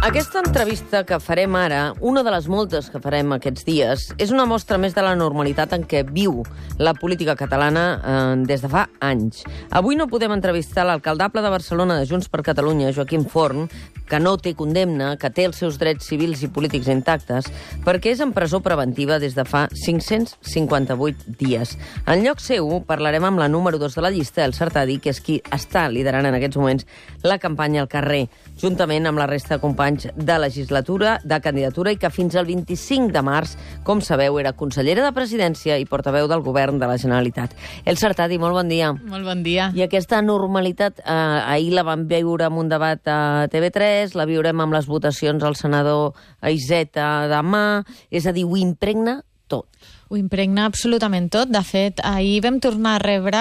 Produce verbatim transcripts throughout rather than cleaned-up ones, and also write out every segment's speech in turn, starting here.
Aquesta entrevista que farem ara, una de les moltes que farem aquests dies, és una mostra més de la normalitat en què viu la política catalana eh, des de fa anys. Avui no podem entrevistar l'alcaldable de Barcelona de Junts per Catalunya, Joaquim Forn, que no té condemna, que té els seus drets civils i polítics intactes, perquè és en presó preventiva des de fa cinc-cents cinquanta-vuit dies. En lloc seu, parlarem amb la número dos de la llista, el Sartadi, que és qui està liderant en aquests moments la campanya al carrer, juntament amb la resta de companys de legislatura, de candidatura, i que fins al vint-i-cinc de març, com sabeu, era consellera de Presidència i portaveu del govern de la Generalitat. El Sartadi, molt bon dia. Molt bon dia. I aquesta normalitat, eh, ahir la vam veure en un debat a T V tres, la viurem amb les votacions al senador Iceta demà, és a dir, ho impregna tot. Ho impregna absolutament tot. De fet, ahir vam tornar a rebre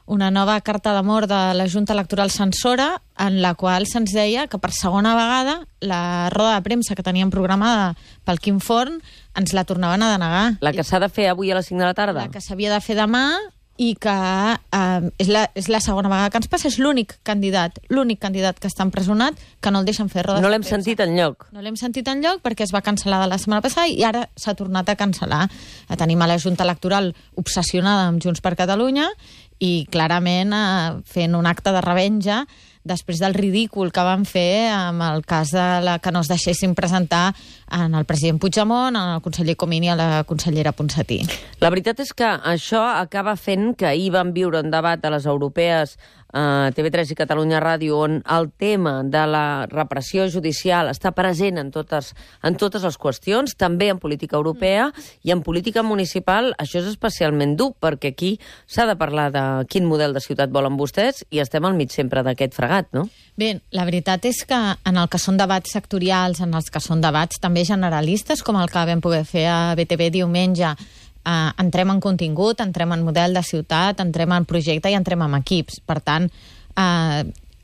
una nova carta d'amor de la Junta Electoral Censora, en la qual se'ns deia que per segona vegada la roda de premsa que teníem programada pel Quim Forn ens la tornaven a denegar. La que s'ha de fer avui a les cinc de la tarda? La que s'havia de fer demà i que eh, és, la, és la segona vegada que ens passa. És l'únic candidat, l'únic candidat que està empresonat que no el deixen fer rodes de premsa. No l'hem sentit enlloc. No l'hem sentit enlloc perquè es va cancel·lar de la setmana passada i ara s'ha tornat a cancel·lar. Tenim a la Junta Electoral obsessionada amb Junts per Catalunya i clarament eh, fent un acte de revenja després del ridícul que van fer amb el cas de la que no es deixessin presentar en el president Puigdemont, en el conseller Comín i a la consellera Ponsatí. La veritat és que això acaba fent que ahir vam viure un debat a les europees a T V tres i Catalunya Ràdio on el tema de la repressió judicial està present en totes, en totes les qüestions, també en política europea mm. i en política municipal. Això és especialment dur perquè aquí s'ha de parlar de quin model de ciutat volen vostès i estem al mig sempre d'aquest fregat, no? Bé, la veritat és que en el que són debats sectorials, en els que són debats també generalistes, com el que vam poder fer a B T V diumenge, Uh, entrem en contingut, entrem en model de ciutat, entrem en projecte i entrem en equips. Per tant, uh,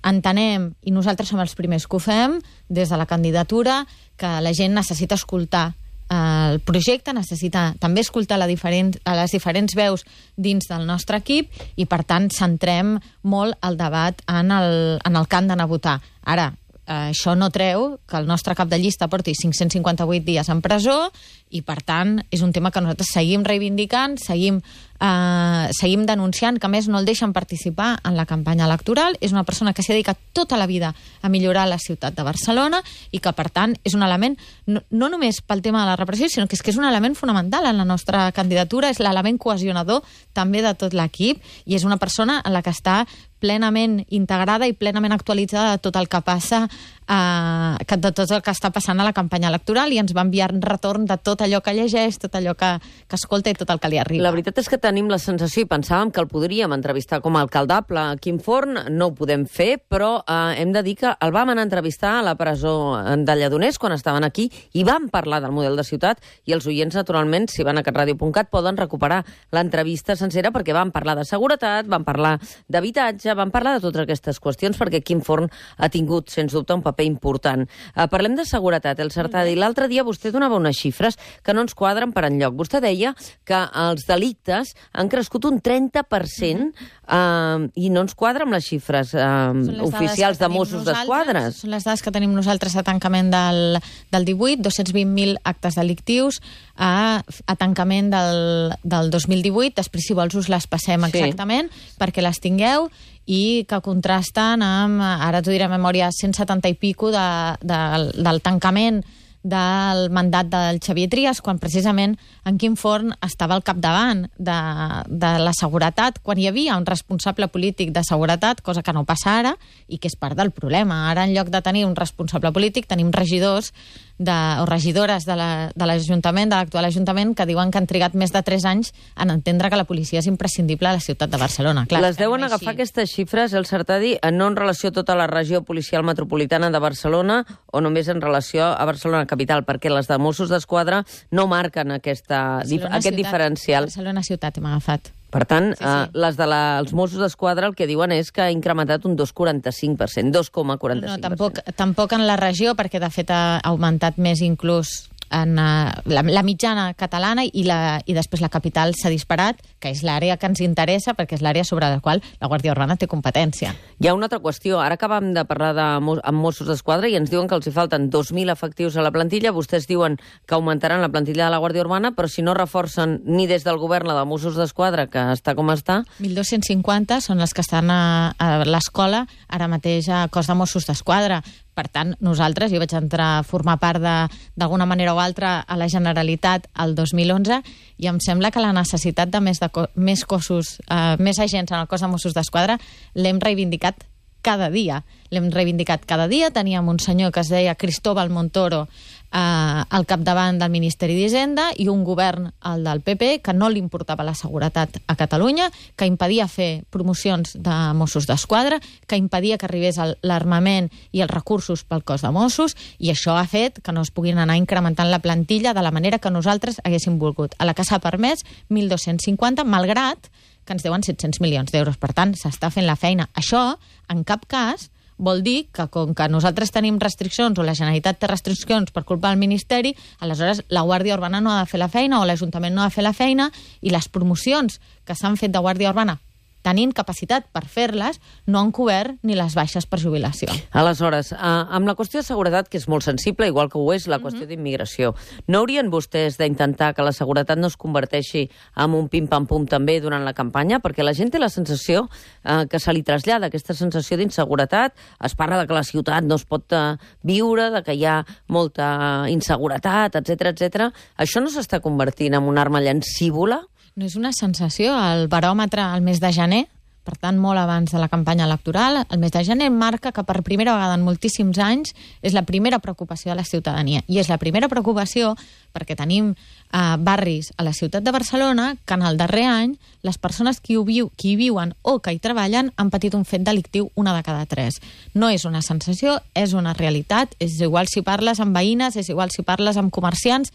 entenem, i nosaltres som els primers que ho fem, des de la candidatura, que la gent necessita escoltar uh, el projecte, necessita també escoltar la diferent, a les diferents veus dins del nostre equip i, per tant, centrem molt el debat en el, en el que han d'anar a votar. Ara, uh, això no treu que el nostre cap de llista porti cinc-cents cinquanta-vuit dies en presó i, per tant, és un tema que nosaltres seguim reivindicant, seguim, eh, seguim denunciant, que a més no el deixen participar en la campanya electoral. És una persona que s'ha dedicat tota la vida a millorar la ciutat de Barcelona i que, per tant, és un element, no, no només pel tema de la repressió, sinó que és que és un element fonamental en la nostra candidatura, és l'element cohesionador també de tot l'equip i és una persona en la que està plenament integrada i plenament actualitzada de tot el que passa, eh, de tot el que està passant a la campanya electoral i ens va enviar un retorn de tot allò que llegeix, tot allò que, que escolta i tot el que li arriba. La veritat és que tenim la sensació i pensàvem que el podríem entrevistar com a alcaldable a Quim Forn, no ho podem fer, però eh, hem de dir que el vam anar a entrevistar a la presó de Lledoners quan estaven aquí i vam parlar del model de ciutat i els oients, naturalment, si van a catradio punt cat, poden recuperar l'entrevista sencera perquè vam parlar de seguretat, vam parlar d'habitatge, vam parlar de totes aquestes qüestions perquè Quim Forn ha tingut, sens dubte, un paper important. Eh, parlem de seguretat, el Sartadi. L'altre dia vostè donava unes xifres que no ens quadren per enlloc. Vostè deia que els delictes han crescut un trenta per cent eh, i no ens quadra amb les xifres eh, oficials de Mossos d'Esquadra. Són les dades que tenim nosaltres a tancament del, del divuit, dos-cents vint mil actes delictius a, a tancament del, del dos mil divuit. Després, si vols, us les passem exactament sí. perquè les tingueu i que contrasten amb, ara t'ho diré a memòria, cent setanta i pico de, de, del tancament del mandat del Xavier Trias, quan precisament en Quim Forn estava al capdavant de, de la seguretat, quan hi havia un responsable polític de seguretat, cosa que no passa ara i que és part del problema. Ara, en lloc de tenir un responsable polític, tenim regidors de, o regidores de l'Ajuntament, de l'actual Ajuntament, que diuen que han trigat més de tres anys en entendre que la policia és imprescindible a la ciutat de Barcelona. Clar, les deuen agafar així. Aquestes xifres, el Sartadi, no en relació a tota la regió policial metropolitana de Barcelona o només en relació a Barcelona capital, perquè les de Mossos d'Esquadra no marquen aquesta, dif aquest ciutat, diferencial. Barcelona ciutat hem agafat. Per tant, sí, sí. Eh, les dels de Mossos d'Esquadra el que diuen és que ha incrementat un dos coma quaranta-cinc per cent, dos coma quaranta-cinc per cent. No, tampoc, tampoc en la regió, perquè de fet ha augmentat més inclús en uh, la, la mitjana catalana i, la, i després la capital s'ha disparat, que és l'àrea que ens interessa perquè és l'àrea sobre la qual la Guàrdia Urbana té competència. Hi ha una altra qüestió. Ara acabem de parlar de, amb Mossos d'Esquadra i ens diuen que els hi falten dos mil efectius a la plantilla. Vostès diuen que augmentaran la plantilla de la Guàrdia Urbana, però si no reforcen ni des del govern la de Mossos d'Esquadra, que està com està... mil dos-cents cinquanta són les que estan a, a l'escola ara mateix a cos de Mossos d'Esquadra. Per tant, nosaltres, jo vaig entrar a formar part d'alguna manera o altra a la Generalitat el dos mil onze i em sembla que la necessitat de més, de co més cossos, eh, més agents en el cos de Mossos d'Esquadra l'hem reivindicat cada dia. L'hem reivindicat cada dia. Teníem un senyor que es deia Cristóbal Montoro eh, al capdavant del Ministeri d'Hisenda i un govern, el del P P, que no li importava la seguretat a Catalunya, que impedia fer promocions de Mossos d'Esquadra, que impedia que arribés l'armament i els recursos pel cos de Mossos, i això ha fet que no es puguin anar incrementant la plantilla de la manera que nosaltres haguéssim volgut. A la que s'ha permès mil dos-cents cinquanta, malgrat que ens deuen set-cents milions d'euros. Per tant, s'està fent la feina. Això, en cap cas, vol dir que com que nosaltres tenim restriccions o la Generalitat té restriccions per culpa del Ministeri, aleshores la Guàrdia Urbana no ha de fer la feina o l'Ajuntament no ha de fer la feina i les promocions que s'han fet de Guàrdia Urbana tenint capacitat per fer-les, no han cobert ni les baixes per jubilació. Aleshores, eh, amb la qüestió de seguretat, que és molt sensible, igual que ho és la qüestió mm-hmm. d'immigració, no haurien vostès d'intentar que la seguretat no es converteixi en un pim-pam-pum també durant la campanya? Perquè la gent té la sensació eh, que se li trasllada aquesta sensació d'inseguretat. Es parla de que la ciutat no es pot eh, viure, de que hi ha molta inseguretat, etcètera, etcètera. Això no s'està convertint en una arma llancívola? No és una sensació. El baròmetre al mes de gener, per tant, molt abans de la campanya electoral, el mes de gener marca que per primera vegada en moltíssims anys és la primera preocupació de la ciutadania. I és la primera preocupació perquè tenim eh, barris a la ciutat de Barcelona que en el darrer any les persones que hi, viu, que hi viuen o que hi treballen han patit un fet delictiu una de cada tres. No és una sensació, és una realitat. És igual si parles amb veïnes, és igual si parles amb comerciants,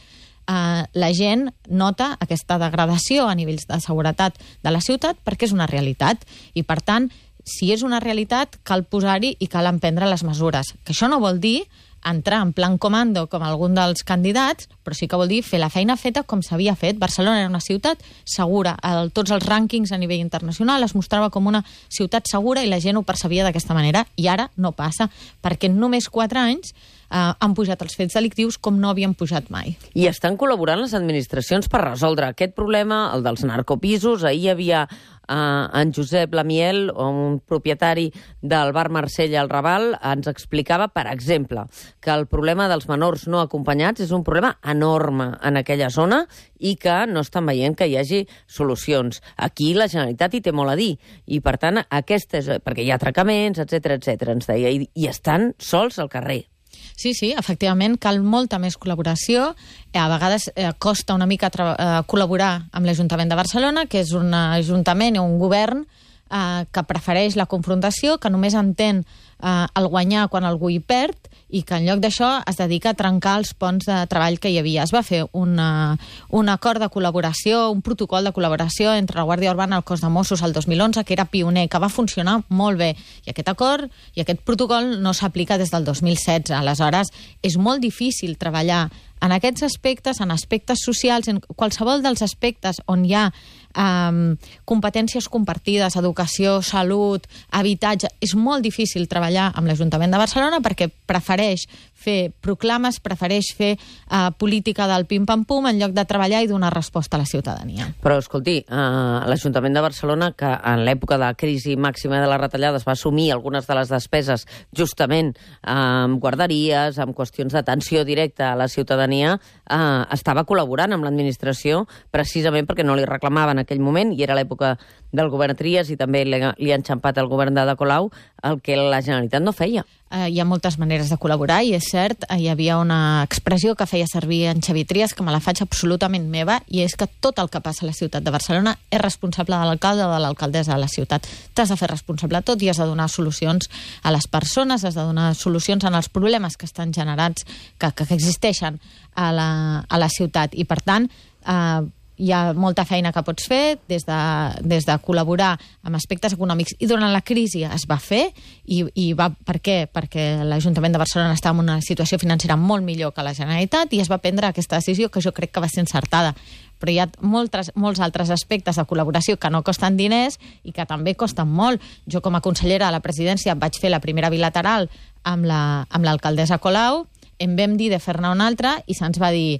Uh, la gent nota aquesta degradació a nivells de seguretat de la ciutat perquè és una realitat i, per tant, si és una realitat, cal posar-hi i cal emprendre les mesures. Que això no vol dir entrar en plan comando com algun dels candidats, però sí que vol dir fer la feina feta com s'havia fet. Barcelona era una ciutat segura. El, tots els rànquings a nivell internacional es mostrava com una ciutat segura i la gent ho percebia d'aquesta manera. I ara no passa, perquè en només quatre anys Uh, han pujat els fets delictius com no havien pujat mai. I estan col·laborant les administracions per resoldre aquest problema, el dels narcopisos. Ahir hi havia uh, en Josep Lamiel, un propietari del bar Marsella al Raval, ens explicava, per exemple, que el problema dels menors no acompanyats és un problema enorme en aquella zona i que no estan veient que hi hagi solucions. Aquí la Generalitat hi té molt a dir i, per tant, aquestes, perquè hi ha atracaments, etcètera, etcètera, ens deia, i, i estan sols al carrer. Sí, sí, efectivament, cal molta més col·laboració. A vegades eh, costa una mica eh, col·laborar amb l'Ajuntament de Barcelona, que és un ajuntament o un govern eh, que prefereix la confrontació, que només entén eh, el guanyar quan algú hi perd i que en lloc d'això es dedica a trencar els ponts de treball que hi havia. Es va fer una, un acord de col·laboració, un protocol de col·laboració entre la Guàrdia Urbana i el cos de Mossos el dos mil onze, que era pioner, que va funcionar molt bé. I aquest acord i aquest protocol no s'aplica des del dos mil setze. Aleshores, és molt difícil treballar en aquests aspectes, en aspectes socials, en qualsevol dels aspectes on hi ha um, competències compartides, educació, salut, habitatge. És molt difícil treballar amb l'Ajuntament de Barcelona perquè prefereix fer proclames, prefereix fer uh, política del pim-pam-pum en lloc de treballar i donar resposta a la ciutadania. Però, escolti, uh, l'Ajuntament de Barcelona, que en l'època de la crisi màxima de les retallades va assumir algunes de les despeses justament uh, amb guarderies, amb qüestions d'atenció directa a la ciutadania, uh, estava col·laborant amb l'administració precisament perquè no li reclamava en aquell moment, i era l'època del govern Trias i també li, li ha enxampat el govern de Ada Colau, el que la Generalitat no feia. Uh, hi ha moltes maneres de col·laborar i és cert, uh, hi havia una expressió que feia servir en Xavi Trias que me la faig absolutament meva, i és que tot el que passa a la ciutat de Barcelona és responsable de l'alcalde o de l'alcaldessa de la ciutat. T'has de fer responsable de tot i has de donar solucions a les persones, has de donar solucions en els problemes que estan generats, que, que existeixen a la, a la ciutat. I per tant, uh, hi ha molta feina que pots fer des de, des de col·laborar amb aspectes econòmics. I durant la crisi es va fer, i, i va, per què? Perquè l'Ajuntament de Barcelona estava en una situació financera molt millor que la Generalitat i es va prendre aquesta decisió que jo crec que va ser encertada. Però hi ha moltes, molts altres aspectes de col·laboració que no costen diners i que també costen molt. Jo, com a consellera de la presidència, vaig fer la primera bilateral amb la, amb l'alcaldessa Colau, en vam dir de fer-ne una altra i se'ns va dir: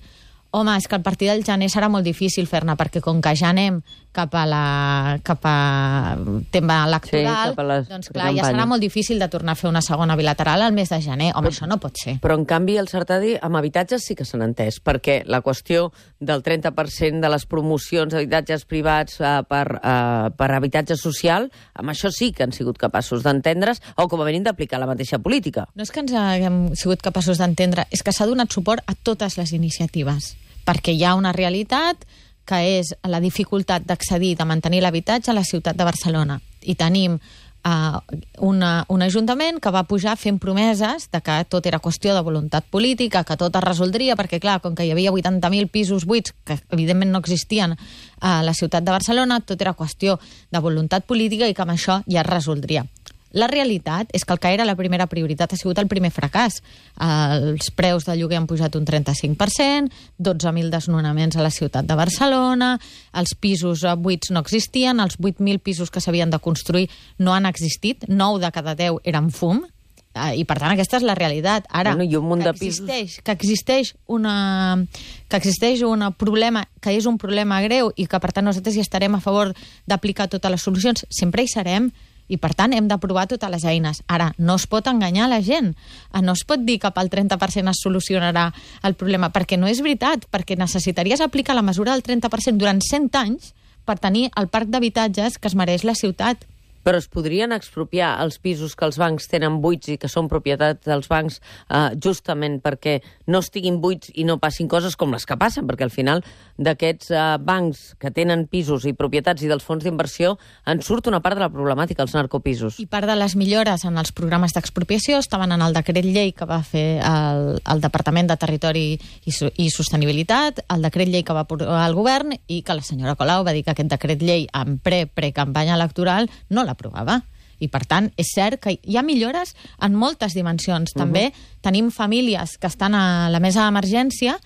home, és que a partir del gener serà molt difícil fer-ne, perquè com que ja anem cap a la cap a tema electoral, sí, les, doncs clar, ja serà molt difícil de tornar a fer una segona bilateral al mes de gener. Home, però, això no pot ser. Però, en canvi, el Sartadi amb habitatges sí que s'han entès, perquè la qüestió del trenta per cent de les promocions d'habitatges privats eh, per, eh, per habitatge social, amb això sí que han sigut capaços d'entendre's, o com a mínim d'aplicar la mateixa política. No és que ens haguem sigut capaços d'entendre, és que s'ha donat suport a totes les iniciatives, perquè hi ha una realitat que és la dificultat d'accedir, de mantenir l'habitatge a la ciutat de Barcelona. I tenim uh, una, un ajuntament que va pujar fent promeses de que tot era qüestió de voluntat política, que tot es resoldria, perquè, clar, com que hi havia vuitanta mil pisos buits, que evidentment no existien a la ciutat de Barcelona, tot era qüestió de voluntat política i que amb això ja es resoldria. La realitat és que el que era la primera prioritat ha sigut el primer fracàs. Els preus de lloguer han pujat un trenta-cinc per cent, dotze mil desnonaments a la ciutat de Barcelona, els pisos buits no existien, els vuit mil pisos que s'havien de construir no han existit, nou de cada deu eren fum, i per tant aquesta és la realitat. Ara, bueno, i un munt que de pisos... existeix, que existeix una que existeix un problema, que és un problema greu i que per tant nosaltres hi estarem a favor d'aplicar totes les solucions, sempre hi serem, i, per tant, hem de provar totes les eines. Ara, no es pot enganyar la gent. No es pot dir que pel trenta per cent es solucionarà el problema, perquè no és veritat, perquè necessitaries aplicar la mesura del trenta per cent durant cent anys per tenir el parc d'habitatges que es mereix la ciutat. Però es podrien expropiar els pisos que els bancs tenen buits i que són propietat dels bancs eh, justament perquè no estiguin buits i no passin coses com les que passen, perquè al final d'aquests eh, bancs que tenen pisos i propietats i dels fons d'inversió en surt una part de la problemàtica, els narcopisos. I part de les millores en els programes d'expropiació estaven en el decret llei que va fer el, el Departament de Territori i, i Sostenibilitat, el decret llei que va aprovar el govern i que la senyora Colau va dir que aquest decret llei en pre-pre-campanya electoral no l'aprovava. I, per tant, és cert que hi ha millores en moltes dimensions. També uh-huh. tenim famílies que estan a la mesa d'emergència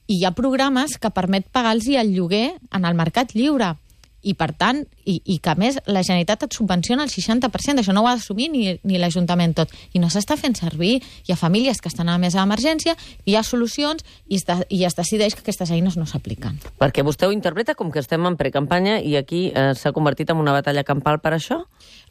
i hi ha programes que permet pagar-los el lloguer en el mercat lliure. I, per tant, i, i que a més la Generalitat et subvenciona el seixanta per cent, això no ho ha d'assumir ni, ni l'Ajuntament tot. I no s'està fent servir. Hi ha famílies que estan a la mesa d'emergència, hi ha solucions i es, de, i es decideix que aquestes eines no s'apliquen. Perquè vostè ho interpreta com que estem en precampanya i aquí eh, s'ha convertit en una batalla campal per això?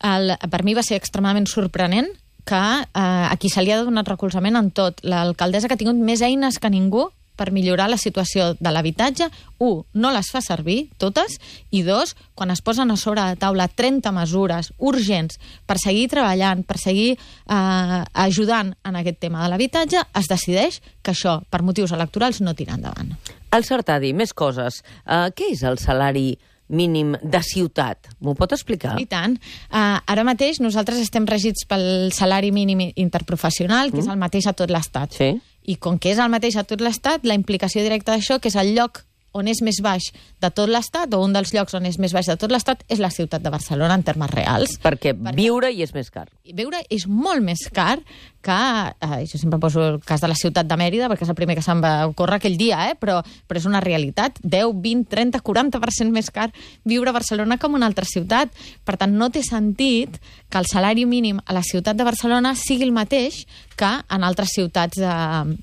El, per mi va ser extremadament sorprenent que eh, a qui se li ha donat recolzament en tot. L'alcaldessa que ha tingut més eines que ningú per millorar la situació de l'habitatge, un, no les fa servir, totes, i dos, quan es posen a sobre la taula trenta mesures urgents per seguir treballant, per seguir eh, ajudant en aquest tema de l'habitatge, es decideix que això, per motius electorals, no tira endavant. El Sartadi, més coses. Uh, què és el salari mínim de ciutat? M'ho pot explicar? I tant. Uh, ara mateix nosaltres estem regits pel salari mínim interprofessional, que mm. és el mateix a tot l'Estat. Sí. I com que és el mateix a tot l'Estat, la implicació directa d'això, que és el lloc on és més baix de tot l'Estat, o un dels llocs on és més baix de tot l'Estat, és la ciutat de Barcelona, en termes reals. Perquè, Perquè viure hi és més car. Viure és molt més car que... Eh, jo sempre poso el cas de la ciutat de Mèrida, perquè és el primer que se'm va ocórrer aquell dia, eh? però, però és una realitat. deu, vint, trenta, quaranta per cent més car viure a Barcelona com una altra ciutat. Per tant, no té sentit que el salari mínim a la ciutat de Barcelona sigui el mateix que en altres ciutats de,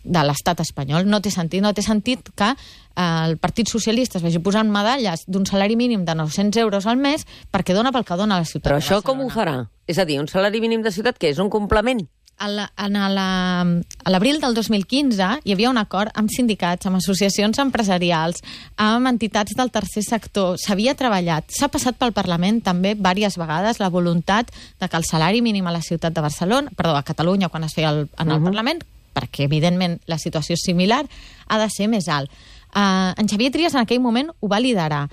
de l'estat espanyol. No té sentit. No té sentit que el Partit Socialista es vagi posant medalles d'un salari mínim de nou-cents euros al mes perquè dona pel que dona a la ciutat Però de Barcelona. això com ho farà? És a dir, un salari mínim de ciutat que és un complement? A l'abril del dos mil quinze hi havia un acord amb sindicats, amb associacions empresarials, amb entitats del tercer sector. S'havia treballat. S'ha passat pel Parlament també diverses vegades la voluntat de que el salari mínim a la ciutat de Barcelona, perdó, a Catalunya, quan es feia el, en el uh-huh. Parlament, perquè evidentment la situació és similar, ha de ser més alt. Uh, en Xavier Trias en aquell moment ho va liderar.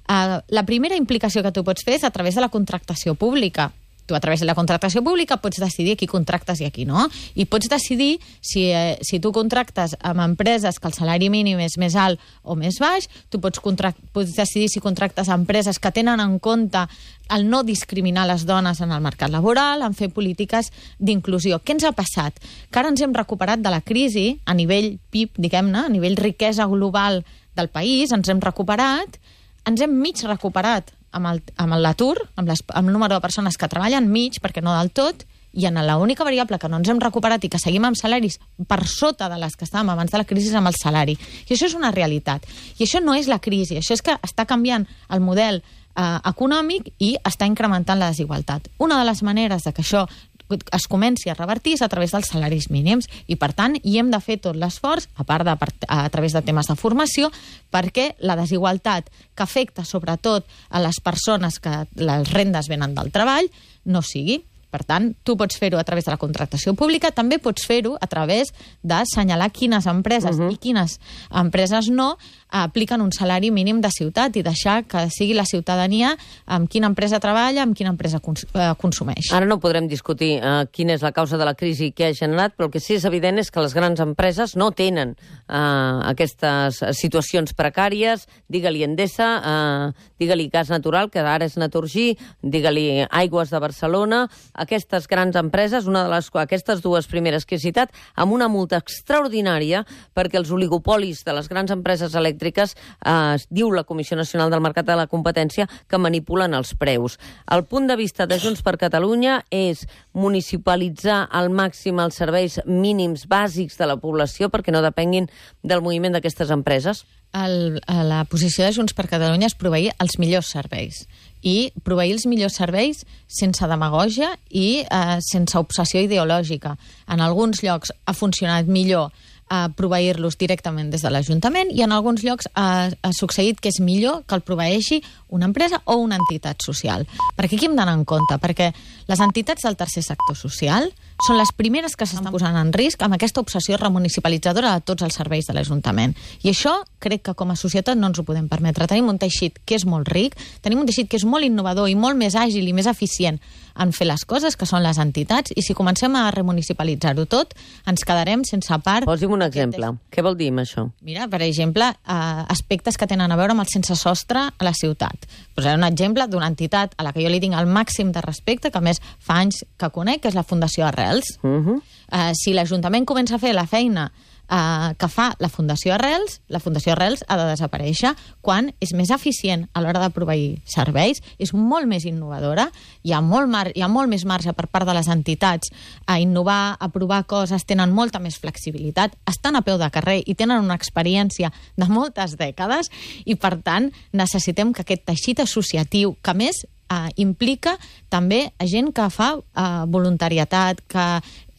Uh, la primera implicació que tu pots fer és a través de la contractació pública. Tu, a través de la contractació pública, pots decidir a qui contractes i a qui no. I pots decidir si, eh, si tu contractes amb empreses que el salari mínim és més alt o més baix, tu pots, pots decidir si contractes amb empreses que tenen en compte el no discriminar les dones en el mercat laboral, en fer polítiques d'inclusió. Què ens ha passat? Que ara ens hem recuperat de la crisi a nivell P I B, diguem-ne, a nivell riquesa global del país, ens hem recuperat, ens hem mig recuperat amb l'atur, amb, amb el número de persones que treballen mig, perquè no del tot, i en l'única variable que no ens hem recuperat i que seguim amb salaris per sota de les que estàvem abans de la crisi és amb el salari. I això és una realitat. I això no és la crisi, això és que està canviant el model eh, econòmic i està incrementant la desigualtat. Una de les maneres de que això es comenci a revertir és a través dels salaris mínims i, per tant, hi hem de fer tot l'esforç, a part de a través de temes de formació, perquè la desigualtat que afecta sobretot a les persones que les rendes venen del treball no sigui. Per tant, tu pots fer-ho a través de la contractació pública, també pots fer-ho a través d'assenyalar quines empreses uh-huh. i quines empreses no apliquen un salari mínim de ciutat i deixar que sigui la ciutadania amb quina empresa treballa, amb quina empresa cons eh, consumeix. Ara no podrem discutir uh, quina és la causa de la crisi que ha generat, però el que sí és evident és que les grans empreses no tenen uh, aquestes situacions precàries, digue-li Endesa, uh, digue-li Gas Natural, que ara és Naturgy, digue-li Aigües de Barcelona. Aquestes grans empreses, una de les, aquestes dues primeres que he citat, amb una multa extraordinària perquè els oligopolis de les grans empreses elèctriques eh, diu la Comissió Nacional del Mercat de la Competència que manipulen els preus. El punt de vista de Junts per Catalunya és municipalitzar al màxim els serveis mínims bàsics de la població perquè no depenguin del moviment d'aquestes empreses. El, la posició de Junts per Catalunya és proveir els millors serveis i proveir els millors serveis sense demagògia i eh, sense obsessió ideològica. En alguns llocs ha funcionat millor a proveir-los directament des de l'Ajuntament i en alguns llocs ha, ha succeït que és millor que el proveeixi una empresa o una entitat social. Perquè aquí hem d'anar en compte, perquè les entitats del tercer sector social són les primeres que s'estan posant en risc amb aquesta obsessió remunicipalitzadora de tots els serveis de l'Ajuntament. I això crec que com a societat no ens ho podem permetre. Tenim un teixit que és molt ric, tenim un teixit que és molt innovador i molt més àgil i més eficient en fer les coses, que són les entitats, i si comencem a remunicipalitzar-ho tot, ens quedarem sense part... Posi'm un exemple. Què vol dir amb això? Mira, per exemple, eh, aspectes que tenen a veure amb el sense sostre a la ciutat. Posaré un exemple d'una entitat a la que jo li tinc el màxim de respecte, que a més fa anys que conec, que és la Fundació Arrels. Uh-huh. eh, si l'Ajuntament comença a fer la feina Uh, que fa la Fundació Arrels, la Fundació Arrels ha de desaparèixer quan és més eficient a l'hora de proveir serveis, és molt més innovadora, hi ha molt, mar hi ha molt més marge per part de les entitats a innovar, a provar coses, tenen molta més flexibilitat, estan a peu de carrer i tenen una experiència de moltes dècades i, per tant, necessitem que aquest teixit associatiu, que a més Uh, implica també a gent que fa uh, voluntariatat, que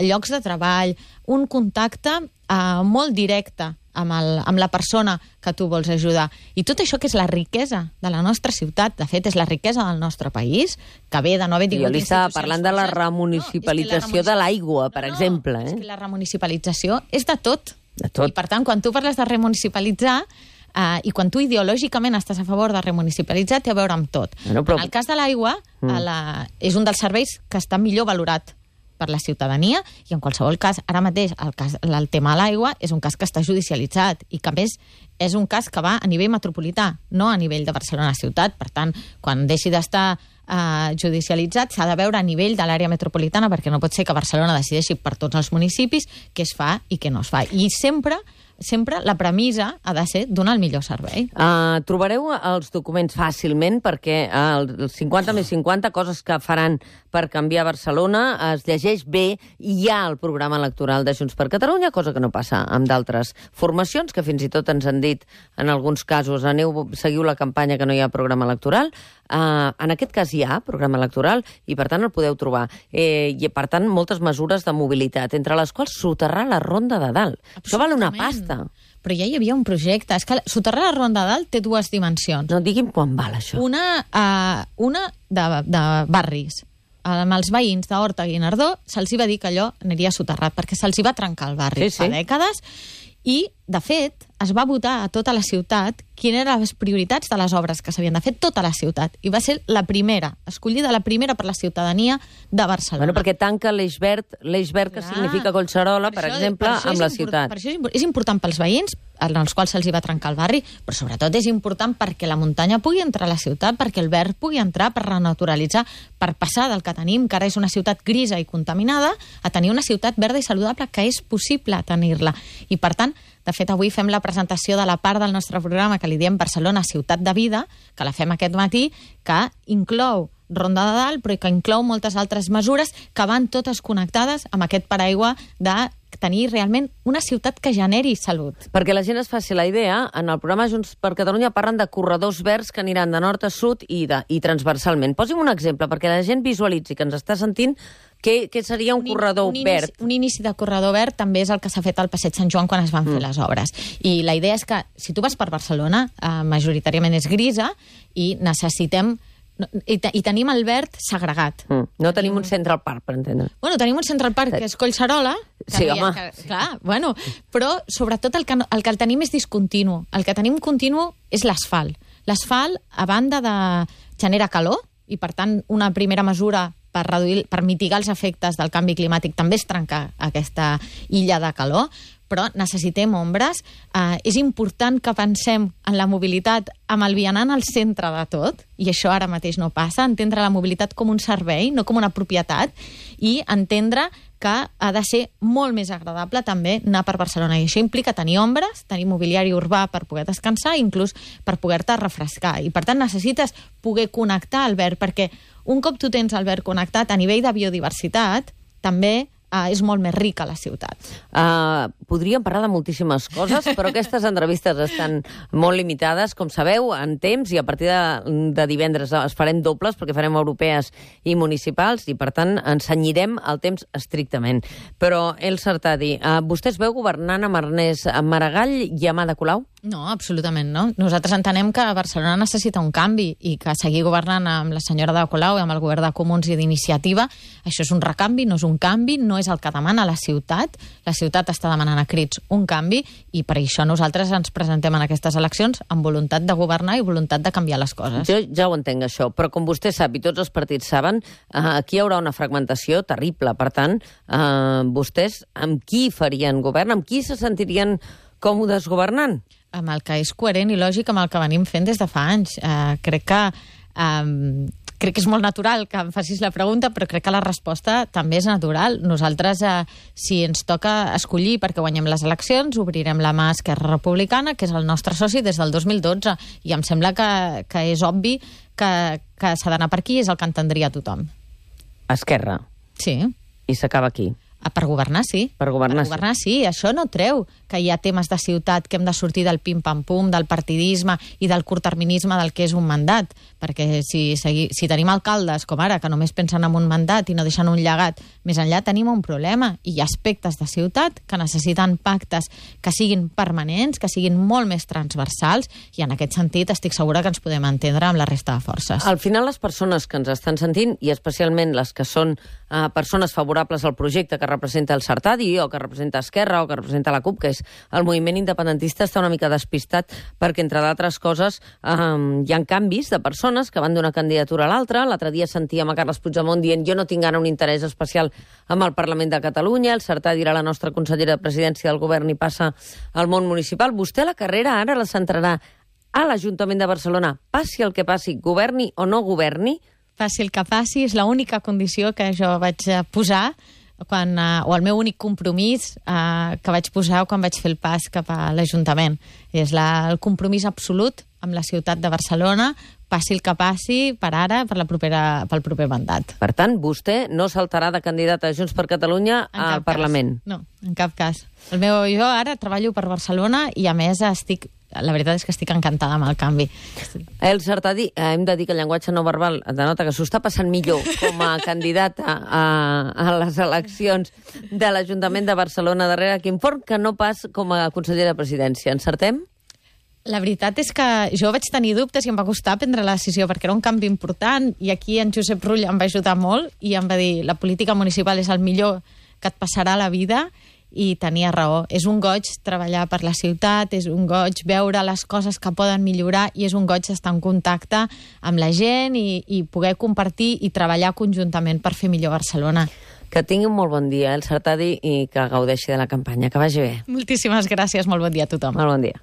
llocs de treball, un contacte uh, molt directe amb, el, amb la persona que tu vols ajudar. I tot això que és la riquesa de la nostra ciutat, de fet és la riquesa del nostre país, que ve de no haver tingut... Jo li estava parlant de la remunicipalització no, la de l'aigua, per no, exemple. Eh? És que la remunicipalització és de tot. De tot. I per tant, quan tu parles de remunicipalitzar, Uh, i quan tu ideològicament estàs a favor de remunicipalitzar, té a veure amb tot. Bueno, però... En el cas de l'aigua, mm. la... és un dels serveis que està millor valorat per la ciutadania i en qualsevol cas, ara mateix, el, cas, el tema de l'aigua és un cas que està judicialitzat i que a més és un cas que va a nivell metropolità, no a nivell de Barcelona ciutat. Per tant, quan deixi d'estar uh, judicialitzat s'ha de veure a nivell de l'àrea metropolitana perquè no pot ser que Barcelona decideixi per tots els municipis què es fa i què no es fa. I sempre... sempre la premissa ha de ser donar el millor servei. Uh, trobareu els documents fàcilment perquè el cinquanta més cinquanta, coses que faran per canviar Barcelona, es llegeix bé i hi ha el programa electoral de Junts per Catalunya, cosa que no passa amb d'altres formacions, que fins i tot ens han dit en alguns casos, aneu, seguiu la campanya que no hi ha programa electoral. Uh, en aquest cas hi ha programa electoral i per tant el podeu trobar. Eh, I per tant moltes mesures de mobilitat, entre les quals soterrar la Ronda de Dalt. Això val una pasta. Però ja hi havia un projecte. És que soterrar la Ronda de Dalt té dues dimensions. No, digui'm quan val això. Una, uh, una de, de barris. Amb els veïns d'Horta i Guinardó se'ls va dir que allò aniria soterrat perquè se'ls va trencar el barri sí, sí. fa dècades I, de fet, es va votar a tota la ciutat quines eren les prioritats de les obres que s'havien de fer tota la ciutat. I va ser la primera, escollida la primera per la ciutadania de Barcelona. Bueno, perquè tanca l'eix verd, l'eix verd que significa Collserola, per, per això, exemple, per amb la ciutat. Per això és, és important pels veïns, en els quals se'ls va trencar el barri, però sobretot és important perquè la muntanya pugui entrar a la ciutat, perquè el verd pugui entrar per renaturalitzar, per passar del que tenim, que ara és una ciutat grisa i contaminada, a tenir una ciutat verda i saludable, que és possible tenir-la. I, per tant, de fet, avui fem la presentació de la part del nostre programa que li diem Barcelona Ciutat de Vida, que la fem aquest matí, que inclou Ronda de Dalt, però que inclou moltes altres mesures que van totes connectades amb aquest paraigua de tenir realment una ciutat que generi salut. Perquè la gent es faci la idea, en el programa Junts per Catalunya parlen de corredors verds que aniran de nord a sud i, de, i transversalment. Posi'm un exemple, perquè la gent visualitzi que ens està sentint què, què seria un, un corredor un verd. Inici, un inici de corredor verd també és el que s'ha fet al Passeig Sant Joan quan es van mm. fer les obres. I la idea és que, si tu vas per Barcelona, eh, majoritàriament és grisa, i necessitem I, te, i tenim el verd segregat. Mm. No tenim un Central Park, per entendre. Bueno, tenim un Central Park que és Collserola. Que sí, havia, home. Que, clar, bueno, però sobretot el que, el que el tenim és discontinu. El que tenim continu és l'asfalt. L'asfalt, a banda de genera calor, i per tant una primera mesura per reduir, per mitigar els efectes del canvi climàtic també és trencar aquesta illa de calor, però necessitem ombres. Eh, és important que pensem en la mobilitat amb el vianant al centre de tot, i això ara mateix no passa, entendre la mobilitat com un servei, no com una propietat, i entendre que ha de ser molt més agradable també anar per Barcelona. I això implica tenir ombres, tenir mobiliari urbà per poder descansar, inclús per poder-te refrescar. I per tant necessites poder connectar el verd, perquè un cop tu tens el verd connectat a nivell de biodiversitat, també Uh, és molt més rica la ciutat. Uh, podríem parlar de moltíssimes coses, però aquestes entrevistes estan molt limitades, com sabeu, en temps, i a partir de, de divendres es farem dobles, perquè farem europees i municipals, i per tant ens cenyirem el temps estrictament. Però, Elsa Artadi, uh, vostè es veu governant amb Ernest Maragall i amb Ada Colau? No, absolutament no. Nosaltres entenem que Barcelona necessita un canvi i que seguir governant amb la senyora Ada Colau i amb el govern de Comuns i d'Iniciativa, això és un recanvi, no és un canvi, no és el que demana la ciutat. La ciutat està demanant a crits un canvi i per això nosaltres ens presentem en aquestes eleccions amb voluntat de governar i voluntat de canviar les coses. Jo ja ho entenc, això, però com vostè sap i tots els partits saben, eh, aquí hi haurà una fragmentació terrible. Per tant, eh, vostès amb qui farien govern? Amb qui se sentirien còmodes governant? Amb el que és coherent i lògic amb el que venim fent des de fa anys. Eh, crec que eh, crec que és molt natural que em facis la pregunta, però crec que la resposta també és natural. Nosaltres, eh, si ens toca escollir perquè guanyem les eleccions, obrirem la mà a Esquerra Republicana, que és el nostre soci des del dos mil dotze, i em sembla que, que és obvi que, que s'ha d'anar per aquí, és el que entendria tothom. Esquerra? Sí. I s'acaba aquí? Per governar, sí. Per governar, per governar sí. sí. Això no treu que hi ha temes de ciutat que hem de sortir del pim-pam-pum, del partidisme i del curtterminisme del que és un mandat. Perquè si, si, si tenim alcaldes, com ara, que només pensen en un mandat i no deixen un llegat, més enllà tenim un problema. I hi ha aspectes de ciutat que necessiten pactes que siguin permanents, que siguin molt més transversals, i en aquest sentit estic segura que ens podem entendre amb la resta de forces. Al final, les persones que ens estan sentint, i especialment les que són eh, persones favorables al projecte que representa el Sartadi, o que representa Esquerra, o que representa la CUP, que és el moviment independentista, està una mica despistat perquè, entre d'altres coses, eh, hi ha canvis de persones que van d'una candidatura a l'altra. L'altre dia sentíem a Carles Puigdemont dient jo no tinc ara un interès especial amb el Parlament de Catalunya, el Sartadi era la nostra consellera de presidència del govern i passa al món municipal. Vostè la carrera ara la centrarà a l'Ajuntament de Barcelona, passi el que passi, governi o no governi? Passi el que passi, és l'única condició que jo vaig posar quan, uh, o el meu únic compromís uh, que vaig posar quan vaig fer el pas cap a l'Ajuntament. És la, el compromís absolut amb la ciutat de Barcelona, passi el que passi, per ara, per la propera, pel proper mandat. Per tant, vostè no saltarà de candidat a Junts per Catalunya al Parlament? Cas. No, en cap cas. El meu, jo ara treballo per Barcelona i, a més, estic... La veritat és que estic encantada amb el canvi. Elsa Artadi, hem de dir que el llenguatge no verbal denota que s'ho està passant millor com a candidata a, a les eleccions de l'Ajuntament de Barcelona darrere Quim Forn, que no pas com a consellera de presidència. Encertem? La veritat és que jo vaig tenir dubtes i em va costar prendre la decisió perquè era un canvi important, i aquí en Josep Rull em va ajudar molt i em va dir la política municipal és el millor que et passarà a la vida, i tenia raó. És un goig treballar per la ciutat, és un goig veure les coses que poden millorar i és un goig estar en contacte amb la gent i, i poder compartir i treballar conjuntament per fer millor Barcelona. Que tingui un molt bon dia, el Sartadi, i que gaudeixi de la campanya. Que vagi bé. Moltíssimes gràcies, molt bon dia a tothom. Molt bon dia.